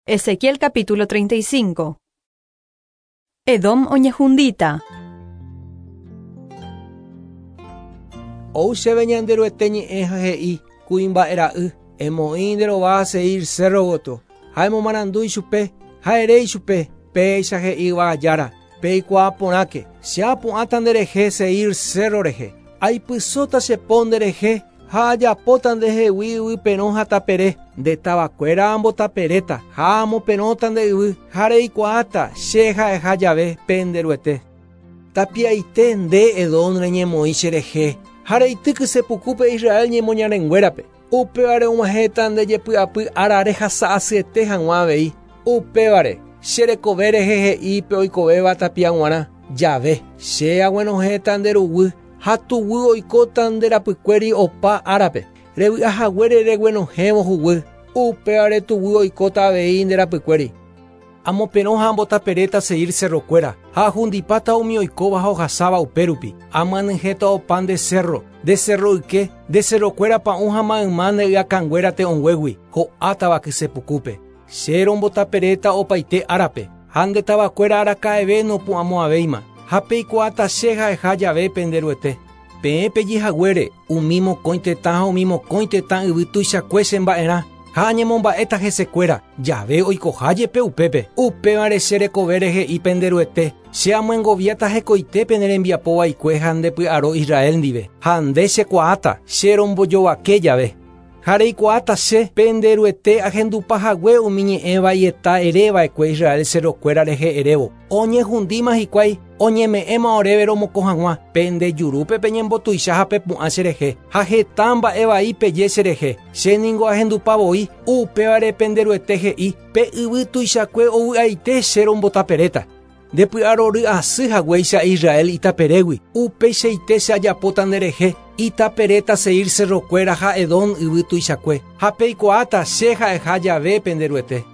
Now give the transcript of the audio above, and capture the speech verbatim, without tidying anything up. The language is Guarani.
Ezequiel capítulo treinta y cinco. Edom oñehundíta. Ou chéve Ñanderuete ñe'ẽ ha he'i kuimba'era'y emoĩ nde rova Seir cerro gotyo ha emomarandu ichupe ha ere ichupe péicha he'i yvagajára peikuaa porãke che apu'ãta nderehe Seir cerro rehe aipysóta che po nderehe ha ajapóta ndehegui yvy perõ ha tapere nde tavakuéra ambotaperéta ha amoperõta nde yvy ha reikuaáta che ha'eha jave pe Nderuete. Tapiaite nde Edom reñemoĩ cherehe ha reitýky sepukúpe Israel ñemoñarenguérape upévare og̃uahẽta nde jepy'apy ára rehasa'asyete hag̃ua avei upévare che rekove rehe he'i pe oikovéva tapia g̃uarã jave che aguenohẽta nde ruguy ha tuguy oikóta nde rapykuéri opa árape revy'ahaguére reguenohẽvo huguy upévare tuguy oikóta avei nde rapykuéri. Amoperõ ha ambotaperéta Seir cerrokuéra ha ahundipáta umi oikóva ha ohasáva upérupi amyanyhẽta opa nde cerro nde cerro yke nde cerrokuéra pa'ũ ha mayma nde y'akãnguéra te'õnguégui ho'átava kysepukúpe che rombotaperéta opaite árape ha nde tavakuéra araka'eve nopu'ãmo'ãvéima ha peikuaáta che ha'eha jave pe Nderuete. Peẽ pejehaguére umi mokõi tetã ha umi mokõi tetã yvy tuichakue chemba'erã ha añemomba'éta hesekuéra jave oikoha jepe upépe upévare che rekovére he'i pe Nderuete che amyengoviáta hekoitépe ne rembiapo vaikue ha ndepy'aro Israel ndive ha nde chekuaáta che rombojovake jave ha reikuaáta che pe Nderuete ahendupahague umi ñe'ẽ vaieta ereva'ekue Israel cerrokuéra rehe erévo oñehundíma hikuái oñeme'ẽma oréve romokõ hag̃ua pe nde jurúpe peñembotuicha ha pepu'ã cherehe ha heta mba'e vai peje cherehe che ningo ahendupavoi upévare pe Nderuete he'i pe yvy tuichakue ovy'aite che rombotaperéta ndepy'arory asy haguéicha Israel itaperégui upeichaite che ajapóta nderehe itaperéta Seir cerrokuéra ha Edom yvy tuichakue ha peikuaáta che ha'eha jave pe Nderuete.